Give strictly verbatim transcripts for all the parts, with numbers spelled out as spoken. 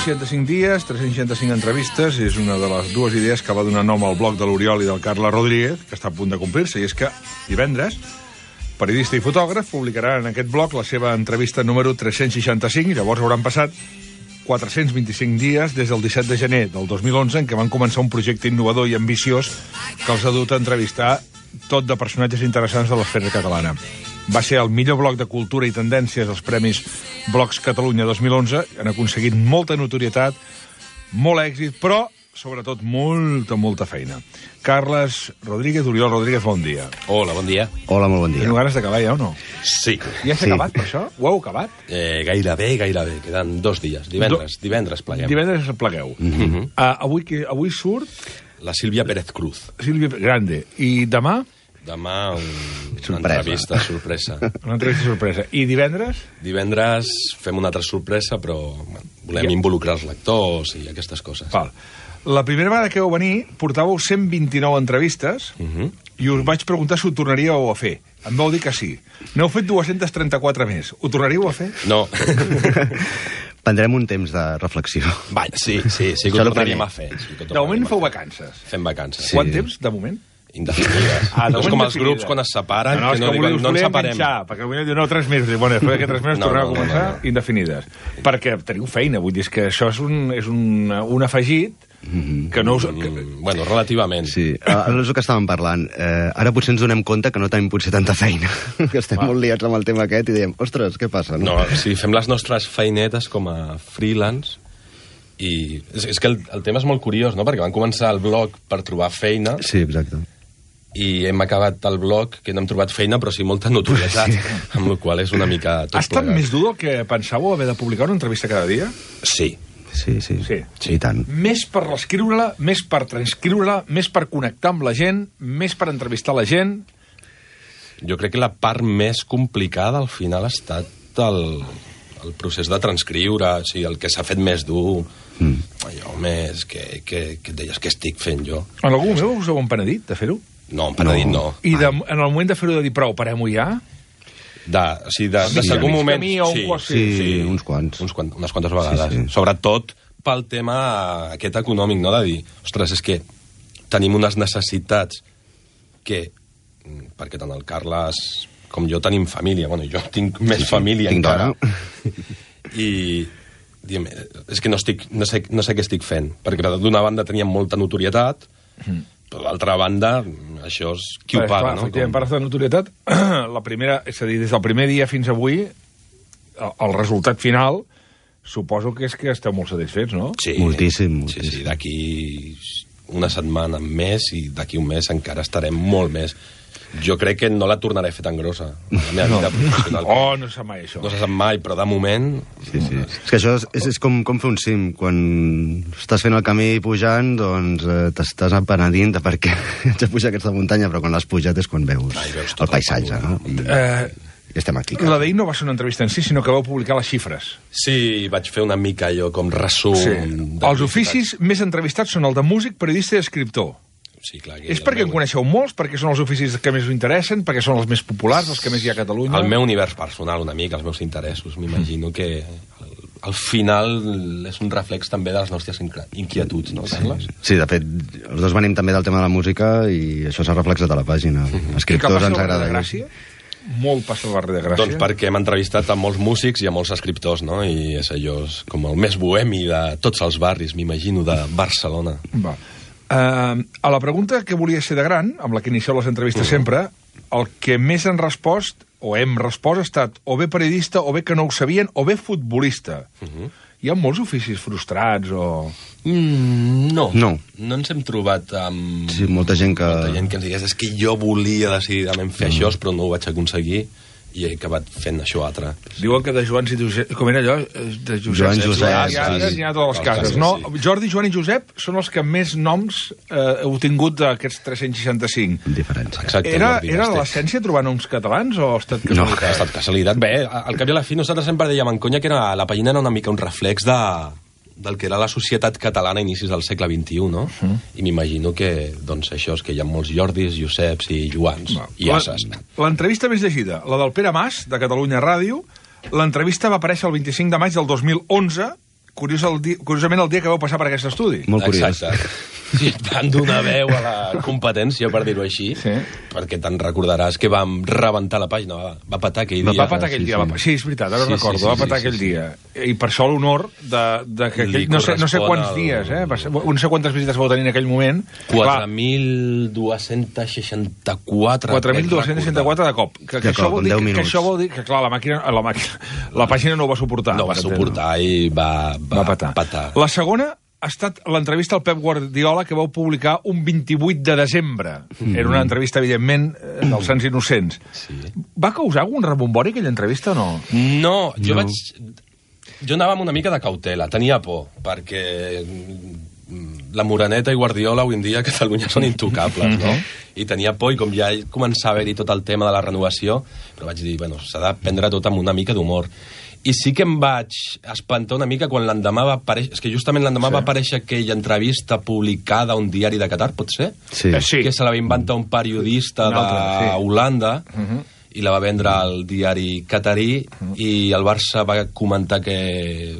seixanta-cinc dies, tres-cents seixanta-cinc entrevistes, és una de les dues idees que va donar nom al blog de l'Oriol i del Carles Rodríguez, que està a punt de complir-se, i és que divendres, periodista i fotògraf, publicarà en aquest blog la seva entrevista número tres-cents seixanta-cinc, i llavors hauran passat quatre-cents vint-i-cinc dies des del disset de gener del dos mil onze, en què van començar un projecte innovador i ambiciós que els ha dut a entrevistar tot de personatges interessants de l'esfera catalana. Va ser el millor blog de cultura i tendències als Premis Blogs Catalunya dos mil onze. Han aconseguit molta notorietat, molt èxit, però, sobretot, molta, molta feina. Carles Rodríguez, Oriol Rodríguez, bon dia. Hola, bon dia. Hola, molt bon dia. Teniu ganes d'acabar ja o no? Sí. Ja s'ha Sí. acabat, per això? Ho heu acabat? Eh, gairebé, gairebé. Queden dos dies. Divendres, Do... divendres pleguem. Divendres plegueu. Mm-hmm. Uh, avui, que, avui surt La Sílvia Pérez Cruz. Sílvia Grande. I demà? Demà un... una Sorpresa. entrevista sorpresa. Una entrevista sorpresa. I divendres? Divendres fem una altra sorpresa, però bueno, volem Ja. involucrar els lectors i aquestes coses. Val. La primera vegada que heu venir portàveu cent vint-i-nou entrevistes Mm-hmm. i us vaig preguntar si ho tornaríeu a fer. Em vau dir que sí. N'heu fet dos-cents trenta-quatre més. Ho tornaríeu a fer? No. Prendrem un temps de reflexió. Vaja, sí, sí, sí que Això ho no tornaríem primer. a fer. Sí que ho De moment tornaríem a feu fer. vacances. Fem vacances. Sí. Quant temps, de moment? Indefinides. Ah, de no és moment com els definides. grups quan es separen, no, no, que no és diuen, us no ens volia separem. enganxar, perquè potser diu, no, tres mesos. Diu, bueno, després d'aquests tres mesos No, torneu no, a començar no, no. indefinides. Perquè teniu feina, vull dir, és que això és un, és un, un afegit que no us... Que... Mm, bueno, relativament. Sí, ara és el que estàvem parlant. Eh, ara potser ens donem compte que no tenim potser tanta feina, que estem Va. molt liats amb el tema aquest i diem, ostres, què passa? No, si fem les nostres feinetes com a freelance i és, és que el, el tema és molt curiós, no? Perquè vam començar el blog per trobar feina Sí, exacte. i hem acabat el blog que no hem trobat feina però sí molta notorietat, sí. Amb la qual és una mica tot Ha estat plegat. més dur del que pensàveu haver de publicar una entrevista cada dia? Sí. Sí, sí. Sí. Sí, i tant. Més per reescriure-la, més per transcriure-la, més per connectar amb la gent, més per entrevistar la gent... Jo crec que la part més complicada al final ha estat el, el procés de transcriure, o sigui, el que s'ha fet més dur, mm. allò més que, que, que et deies que estic fent jo. En algun moment us heu empenedit de fer-ho? No, em penedit no. no. I de, en el moment de fer-ho de dir, prou, parem-ho ja? De, o sigui, de, de, Sí, de algun mig moment... camí o un sí, quart- Sí, sí, uns quants. Uns quant, unes quantes vegades. Sí, sí. Sobretot pel tema aquest econòmic, no? De dir, ostres, és que tenim unes necessitats que, perquè tant el Carles com jo tenim família, bueno, jo tinc més família Tinc encara, dona. i diguem, és que no, estic, no, sé, no sé què estic fent, perquè d'una banda teníem molta notorietat, Mm. però d'altra banda, això és qui ho Clar, paga, clar, no? efectivament, parles de notorietat. La primera, és a dir, des del primer dia fins avui, el, el resultat final, suposo que és que esteu molt satisfets, no? Sí, Moltíssim, Sí, moltíssim. sí, d'aquí una setmana més i d'aquí un mes encara estarem molt més. Jo crec que no la tornaré a fer tan grossa, la meva vida professional. Oh, no se sap mai això. No se sap mai, però de moment... Sí, sí. És que això és, és, és com, com fer un cim. Quan estàs fent el camí pujant, doncs eh, t'estàs penedint de per què haig de pujar aquesta muntanya, però quan l'has pujat és quan veus, Ai, veus tot el paisatge, el no? I, Eh, i estem aquí. la d'ahir no va ser una entrevista en si, sinó que vau publicar les xifres. Sí, vaig fer una mica allò com resum... Sí. de- Els oficis més entrevistats són el de músic, periodista i escriptor. Sí, clar, que És el perquè en meu- coneixeu molts, perquè són els oficis que més us interessen, perquè són els més populars, els que més hi ha a Catalunya? El meu univers personal, una mica, els meus interessos. M'imagino que al, al final és un reflex també de les nostres inqui- inquietuds, no, Carles? Sí, de fet, els dos venim també del tema de la música i això s'ha reflexat a la pàgina. I que Escriptors passa ens al barri agrada. de Gràcia? Molt passa al barri de Gràcia. Doncs perquè hem entrevistat a molts músics i a molts escriptors, no? I és allò és com el més bohemi de tots els barris, m'imagino, de Barcelona. Va. Uh, a la pregunta que volia ser de gran, amb la que inicieu les entrevistes uh. sempre, el que més han respost, o hem respost, ha estat o bé periodista, o bé que no ho sabien, o bé futbolista. Uh -huh. Hi ha molts oficis frustrats, o... Mm, no. No. No ens hem trobat amb... Sí, molta gent que... Molta gent que ens digués, és que jo volia decididament fer mm. això, però no ho vaig aconseguir i he acabat fent això altre. Diuen que de Joans i Josep... Com era allò? De Josep. Joan Josep, Ja, ja, ja, sí. n'hi ha a totes les Els cases, casos, no? sí. Jordi, Joan i Josep són els que més noms eh, heu tingut d'aquests tres-cents seixanta-cinc. Diferència. Exacte. Era, Jordi, era estic. l'essència trobar noms catalans o ha estat No, casualitat? ha estat casualitat. Bé, al cap i a la fi nosaltres sempre dèiem en conya que era, la pàgina era una mica un reflex de, del que era la societat catalana a inicis del segle vint-i-u, no? Uh-huh. I m'imagino que, doncs, això és que hi ha molts Jordis, Joseps i Joans Va. i Asses. L'entrevista més llegida, la del Pere Mas, de Catalunya Ràdio, l'entrevista va aparèixer el vint-i-cinc de maig del dos mil onze, curiós el di... curiosament el dia que vau passar per aquest estudi. Molt curiós. Exacte. Sí, van donar veu a la competència, per dir-ho així, Sí. perquè te'n recordaràs que vam rebentar la pàgina, va, va patar aquell Va dia. patar aquell sí, dia. sí. va- Sí, és veritat, ara Sí, ho sí, recordo, sí, va patar sí, aquell sí, dia. I per això l'honor de, de que Li aquell, no, sé, no sé correspon quants al- dies, eh? Va ser, no sé quantes visites vau tenir en aquell moment. quatre mil dos-cents seixanta-quatre. quatre mil dos-cents seixanta-quatre de cop. Que, que, De això cop, vol en dir, deu que, que minuts. això vol dir que, clar, la màquina, la, màquina, la pàgina no ho va suportar. No va per entendre. suportar i va, va, Va patar. patar. La segona ha estat l'entrevista al Pep Guardiola que vau publicar un vint-i-vuit de desembre. Mm. Era una entrevista, evidentment, eh, dels Sants Innocents. Sí. Va causar algun rebombori aquella entrevista o no? No, jo No. vaig... Jo anava amb una mica de cautela, tenia por, perquè mm, la Moreneta i Guardiola avui en dia a Catalunya són intocables, no? I tenia por, i com ja començava a haver-hi tot el tema de la renovació, però vaig dir, bueno, s'ha de prendre tot amb una mica d'humor. I sí que em vaig espantar una mica quan l'endemà va aparèixer... És que justament l'endemà Sí. va aparèixer aquella entrevista publicada a un diari de Qatar, pot ser? Sí. Eh, sí. Que se la va inventar un periodista Un altre, sí. d'Holanda Uh -huh. i la va vendre al diari catarí i el Barça va comentar que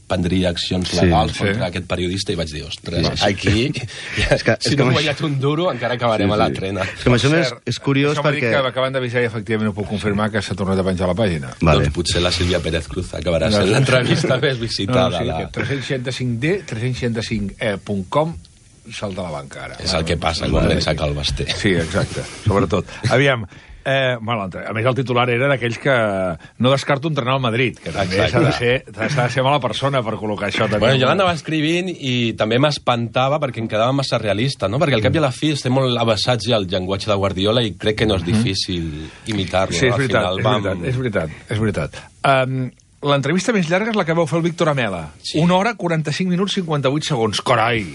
prendria accions Sí, legals sí. contra aquest periodista i vaig dir, ostres, Sí. aquí És que- si és no que- hem guanyat un duro encara acabarem Sí, a la sí. trena. És que amb això més Cert, és curiós això m'ha dit perquè... que acaben d'avisar i efectivament ho puc confirmar que s'ha tornat a penjar a la pàgina. Vale. Doncs potser la Sílvia Pérez Cruz acabarà sent l'entrevista més visitada. No, no, sí, la... que tres cents seixanta-cinc D, tres cents seixanta-cinc E punt com salta a la banca ara. És el que passa quan pensa que el basté. Sí, exacte, sobretot. Aviam, eh, bueno, a més el titular era d'aquells que no descarto entrenar al Madrid, que també s'ha Exacte. de, ser, s'ha de ser mala persona per col·locar això. També. Bueno, jo l'anava escrivint i també m'espantava perquè em quedava massa realista, no? Perquè al cap i a la fi estem molt abassats ja al llenguatge de Guardiola i crec que no és difícil imitar-lo. Sí, és no? Al veritat, final és vam- veritat, és veritat, és veritat. Um, L'entrevista més llarga és la que vau fer el Víctor Amela. Sí. Una hora, quaranta-cinc minuts, cinquanta-vuit segons. Carai!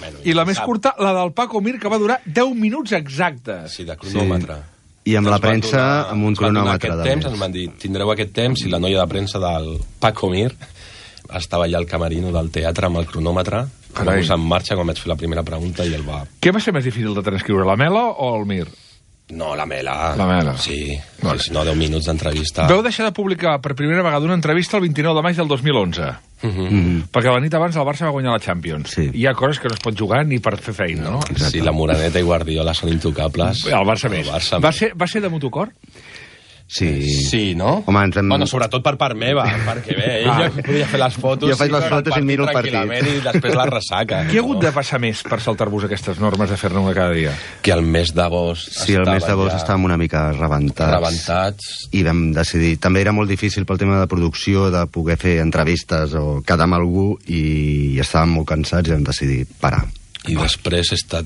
Bueno, I la més sap. curta, la del Paco Mir, que va durar deu minuts exactes. Sí, de cronòmetre. I amb la Ens van premsa, donar- amb un ens van donar cronòmetre, Aquest també. temps, ens van dir, tindreu aquest temps, i la noia de premsa del Paco Mir estava allà al camerino del teatre amb el cronòmetre, Carai. posant en marxa quan vaig fer la primera pregunta i el va... Què va ser més difícil de transcriure, la Mela o el Mir? No, la Mela. La Mela. Sí, Vale. sí, no, deu minuts d'entrevista. Vau deixar de publicar per primera vegada una entrevista el vint-i-nou de maig del dos mil onze. Mhm. Mm. Perquè la nit abans el Barça va guanyar la Champions. Sí. Hi ha coses que no es pot jugar ni per fer feina, no? Sí, la Moreneta i Guardiola són intocables. El Barça més. El Barça Va més. ser, va ser de motocor? Sí. Sí, no? Home, ens hem- Bueno, sobretot per part meva, perquè bé, ella podia fer les fotos... Jo faig les veure fotos i miro el partit. tranquil·lament I després la ressaca. Què ha hagut de passar més per saltar-vos aquestes normes de fer-ne una cada dia? Que el mes d'agost Sí, el mes d'agost ja estàvem una mica rebentats. rebentats. I vam decidir... També era molt difícil pel tema de producció, de poder fer entrevistes o quedar amb algú, i estàvem molt cansats i vam decidir parar. I després he estat...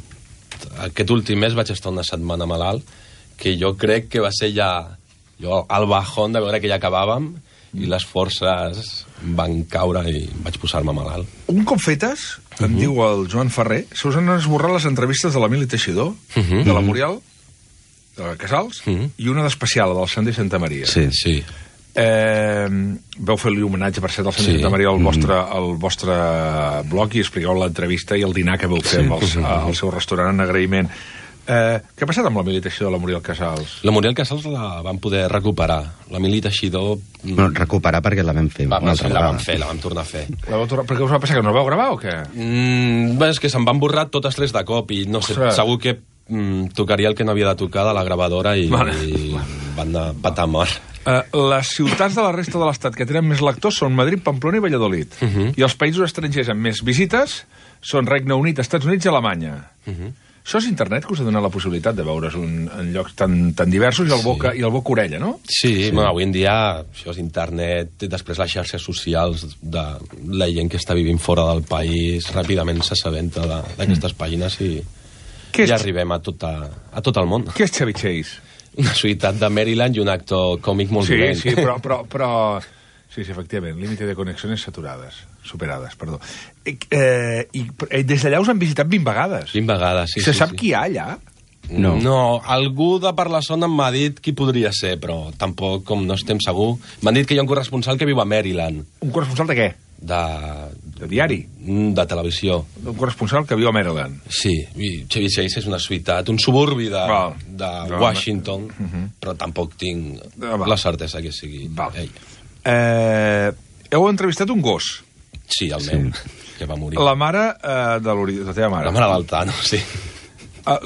Aquest últim mes vaig estar una setmana malalt, que jo crec que va ser ja... Jo, el bajón de veure que ja acabàvem i les forces van caure i vaig posar-me malalt. Un cop fetes, em diu el Joan Ferrer, se us han esborrat les entrevistes de l'Emili Teixidor, Mhm. de la Muriel, de la Casals, Mhm. i una d'especial, la del Sandy Santa Maria. Sí. Sí. Eh, vau fer-li homenatge, per cert, al Sandy Sí. Santa Maria al Mm. vostre, al vostre blog, i expliqueu l'entrevista i el dinar que vau fer Sí. amb els, al seu restaurant en agraïment. Eh, què ha passat amb l'Emili Teixidor de la Muriel Casals? La Muriel Casals la van poder recuperar. L'Emili Teixidor... mm, No, recuperar perquè la vam fer va, una sí, altra la vegada. vam fer, la vam tornar a fer. La vau tornar... Per què us va passar, que no la vau gravar o què? Mm, bé, és que se'n van borrar totes tres de cop i no sé, Ostres. segur que mm, tocaria el que no havia de tocar de la gravadora i, Vale. i van anar patar mort. Uh, les ciutats de la resta de l'Estat que tenen més lectors són Madrid, Pamplona i Valladolid. Uh -huh. I els països estrangers amb més visites són Regne Unit, Estats Units i Alemanya. Uh -huh. Això és internet que us ha donat la possibilitat de veure's un, en llocs tan, tan diversos i el boca, i el boca orella, no? Sí, sí. Bueno, avui en dia això és internet, i després les xarxes socials de la gent que està vivint fora del país ràpidament s'assabenta d'aquestes pàgines i Què és, ja arribem a tot, a, a tot el món. què és Chevy Chase? Una ciutat de Maryland i un actor còmic molt Sí, dolent. sí, però, però, però... Sí, sí, efectivament, límite de conexiones saturades, superades, perdó. Eh, eh, I eh, des d'allà us han visitat vint vegades. vint vegades, sí, Se sí, sap sí. qui hi ha allà? No. No, algú de per la zona m'ha dit qui podria ser, però tampoc, com no estem segur. M'han dit que hi ha un corresponsal que viu a Maryland, Un corresponsal de què? de, De diari? de televisió. Un corresponsal que viu a Maryland. Sí, i Chevy Chase és una ciutat, un suburbi de, Val. de Val. Washington, però tampoc tinc Ah, val. la certesa que sigui Val. ell. Eh, heu entrevistat un gos. Sí, el meu, que va morir. La mare eh, de l'Oriol, la teva mare. La mare del Tano, sí. Uh,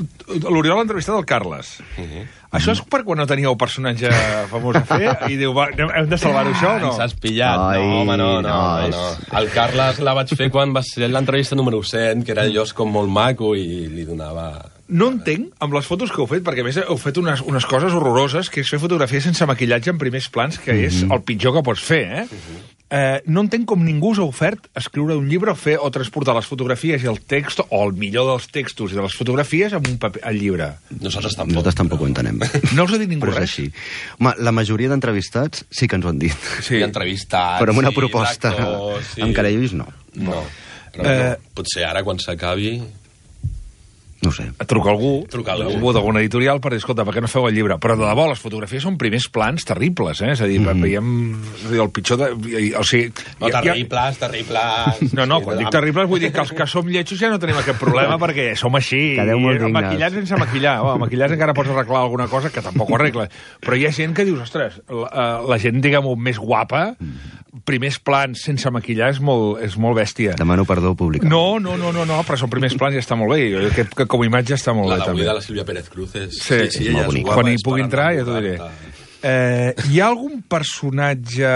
L'Oriol l'ha entrevistat el Carles. Uh-huh. Això és per quan no teníeu personatge famós a fer i diu, va, hem de salvar-ho això o no? Ens has pillat. Ai, no, home, no, no, no, no, no. El Carles la vaig fer quan va ser l'entrevista número cent, que era jo com molt maco i li donava... No entenc, amb les fotos que heu fet, perquè a més heu fet unes, unes coses horroroses, que és fer fotografia sense maquillatge en primers plans, que és el pitjor que pots fer, eh? Uh-huh. Eh, no entenc com ningú us ha ofert escriure un llibre o fer o transportar les fotografies i el text, o el millor dels textos i de les fotografies amb un paper, al llibre. Nosaltres tampoc. Nosaltres tampoc ho entenem. No us ha dit ningú Però és res? així. Home, la majoria d'entrevistats sí que ens ho han dit. Sí. I entrevistats... Però amb una sí, proposta d'actors, sí. amb carells, no. No. Però Eh, no. Potser ara, quan s'acabi... No ho sé. Truca algú, Truca algú. algú d'alguna editorial per dir, escolta, per què no feu el llibre? Però de debò, les fotografies són primers plans terribles, eh? És a dir, mm. veiem és a dir, el pitjor de... O sigui... No, ja- terribles, terribles... No, no, quan dic terribles vull dir que els que som lletjos ja no tenim aquest problema perquè som així. Quedeu molt dignes. Maquillats sense maquillar. Oh, maquillats encara pots arreglar alguna cosa que tampoc ho arregla. Però hi ha gent que dius, ostres, la, eh, la gent, diguem-ho, més guapa, primers plans sense maquillar és molt, és molt bèstia. Demano perdó públic. No, no, no, no, no, però són primers plans i està molt bé. Jo crec que com a imatge està molt La bé, d'avui també. de la Sílvia Pérez Cruz és... Sí, sí, molt ella és bonica. guapa, Quan hi és pugui per entrar ja t'ho diré. Eh, hi ha algun personatge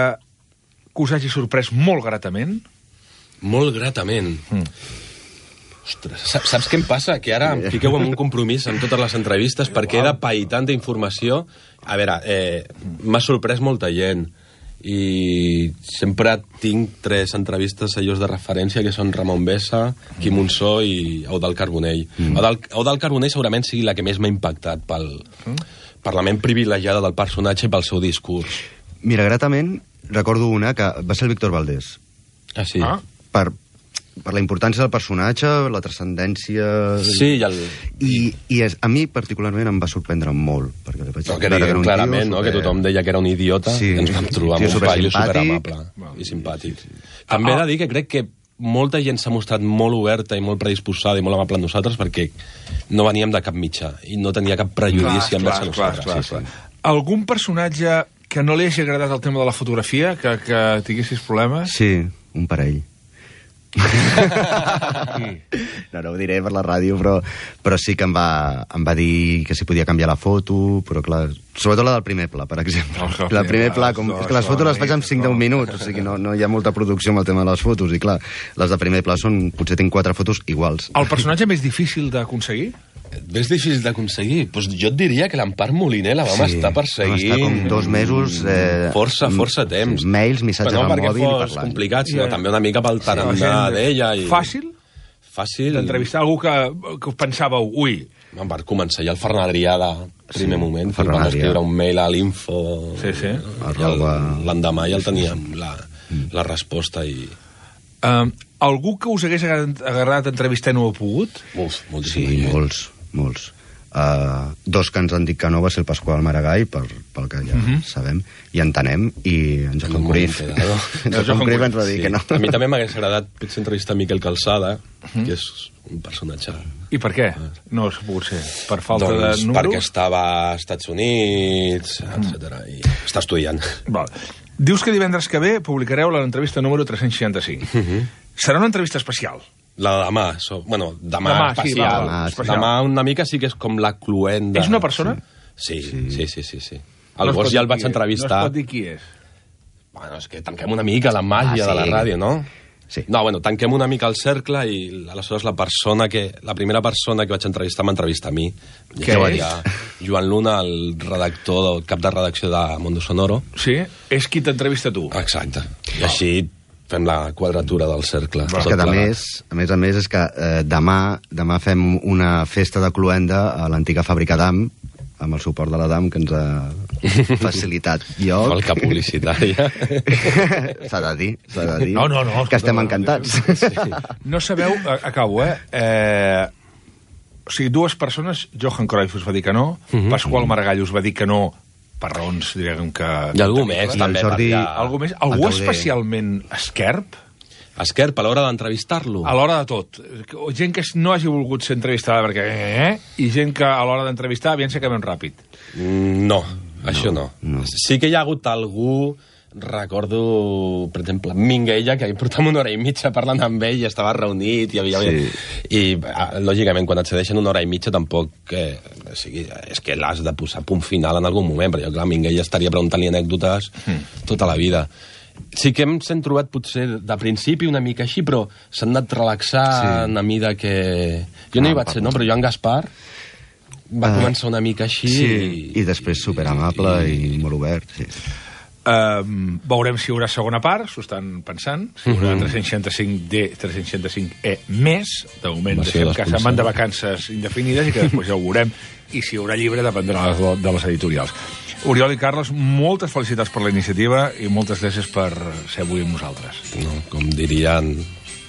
que us hagi sorprès molt gratament? Molt gratament. Mm. Ostres, saps, saps què em passa? Que ara em fiqueu en un compromís amb totes les entrevistes perquè he de pair tanta informació. A veure, eh, m'ha sorprès molta gent i sempre tinc tres entrevistes a llocs de referència que són Ramon Bessa, Quim Monsó i Eudald Carbonell. Mm. Eudald, Eudald Carbonell segurament sigui la que més m'ha impactat pel, mm. per la ment privilegiada del personatge i pel seu discurs. Mira, gratament, recordo una que va ser el Víctor Valdés. Ah, sí? Ah. Per, per la importància del personatge, la transcendència... Sí, i el... I, i és, a mi particularment em va sorprendre molt, perquè li vaig No, que veure era un clarament, tio no? Que super- tothom deia que era un idiota, Sí. ens vam trobar Sí, amb un paio supersimpàtic. superamable i simpàtic. També he de dir que crec que molta gent s'ha mostrat molt oberta i molt predisposada i molt amable amb nosaltres perquè no veníem de cap mitjà i no tenia cap prejudici envers a nosaltres. clar, Sí, clar. sí. Algun personatge que no li hagi agradat el tema de la fotografia, que, que tinguessis problemes? Sí, un parell. Sí. No, no ho diré per la ràdio, però, però sí que em va, em va dir que si podia canviar la foto, però clar, sobretot la del primer pla, per exemple. Oh, La primer pla, com, no, és que les això fotos les no, faig en cinc deu no. minuts, o sigui, no, no hi ha molta producció amb el tema de les fotos, i clar, les de primer pla són, potser tinc quatre fotos iguals. El personatge més difícil d'aconseguir? És difícil d'aconseguir? Pues jo et diria que l'Empar Moliner la vam Sí, estar vam perseguint... estar com dos mesos, eh, Força, força temps. mails, missatges Però no al perquè mòbil i fos parlant. complicat, sinó Ja. també una mica pel tarannà d'ella. I... Fàcil Fàcil. d'entrevistar algú que, que pensàveu, ui, Em va començar ja el Ferran Adrià de primer Sí, moment, que Ferran vam Adrià. escriure un mail a l'info Sí, sí. i el- Arroba... l'endemà ja el teníem la, la resposta i... uh, algú que us hagués agradat, agradat entrevistar i no ho heu pogut? Uf, Sí, moltíssima gent. molts, molts. Uh, dos que ens han dit que no va ser el Pasqual Maragall, per, pel que ja uh -huh. sabem, i entenem, i en Johan Molt Cruyff. enterado. En Johan Cruyff ens va dir Sí. que no. A mi també m'hagués agradat potser entrevistar Miquel Calçada, que és un personatge... I per què? No ha pogut ser. Per falta doncs de números? perquè estava als Estats Units, etcètera i està estudiant. Val. Dius que divendres que ve publicareu l'entrevista número tres-cents seixanta-cinc. Uh -huh. Serà una entrevista especial. La de demà, so, bueno, demà, Demà, sí, especial. va, va, demà, especial. demà una mica sí que és com la cluenda. És una persona? Sí, sí, sí, sí. sí, sí. No El es pot gos ja dir el vaig qui és. entrevistar. No es pot dir qui és. Bueno, és que tanquem una mica la màgia Ah, de la sí. ràdio, no? Sí. No, bueno, tanquem una mica el cercle i aleshores la persona que... La primera persona que vaig entrevistar m'entrevista a mi. Què Ja és? ja, Joan Luna, el redactor, el cap de redacció de Mondo Sonoro. Sí? És qui t'entrevista a tu. Exacte. I així fem la quadratura del cercle. Però és tot que, a plegat. més, a més a més, és que eh, demà, demà fem una festa de cluenda a l'antiga fàbrica d'A M, amb el suport de la D A M, que ens ha facilitat lloc. Valca publicitària. S'ha de dir, s'ha de dir. No, no, no, Que estem escolta, encantats. No sabeu... a- Acabo, eh? eh... O sigui, dues persones, Johan Cruyff us va dir que no, uh -huh. Pasqual Maragall us va dir que no, per raons, diguem que... I algú més, I el també. Jordi- perquè- Algú més? Algú Tauler. especialment esquerp? Esquerp, a l'hora d'entrevistar-lo. A l'hora de tot. Gent que no hagi volgut ser entrevistada perquè... Eh? I gent que a l'hora d'entrevistar aviam si acabem ràpid. Mm, No, això no. no. Sí que hi ha hagut algú recordo, per exemple, Minguella, que portàvem una hora i mitja parlant amb ell i estava reunit i havia... Sí. I, lògicament, quan et cedeixen una hora i mitja tampoc... Eh, o sigui, és que l'has de posar punt final en algun moment, perquè, clar, Minguella estaria preguntant-li anècdotes mm. tota la vida. Sí que ens hem trobat potser de principi una mica així, però s'han anat relaxant sí. a mida que... Jo no, no hi vaig ser, no? Però Joan Gaspar va uh, començar una mica així... Sí, i, i després superamable i, i molt obert, sí. Uh, veurem si hi haurà segona part, s'ho estan pensant, si hi haurà tres-cents seixanta-cinc D, tres-cents seixanta-cinc E més, de moment deixem que se'n van de vacances indefinides i que després ja ho veurem, i si hi haurà llibre dependrà de les editorials. Oriol i Carles, moltes felicitats per la iniciativa i moltes gràcies per ser avui amb nosaltres. No, com dirien...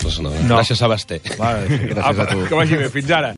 No. Gràcies a Basté. Vale, gràcies a tu. Que vagi bé, fins ara.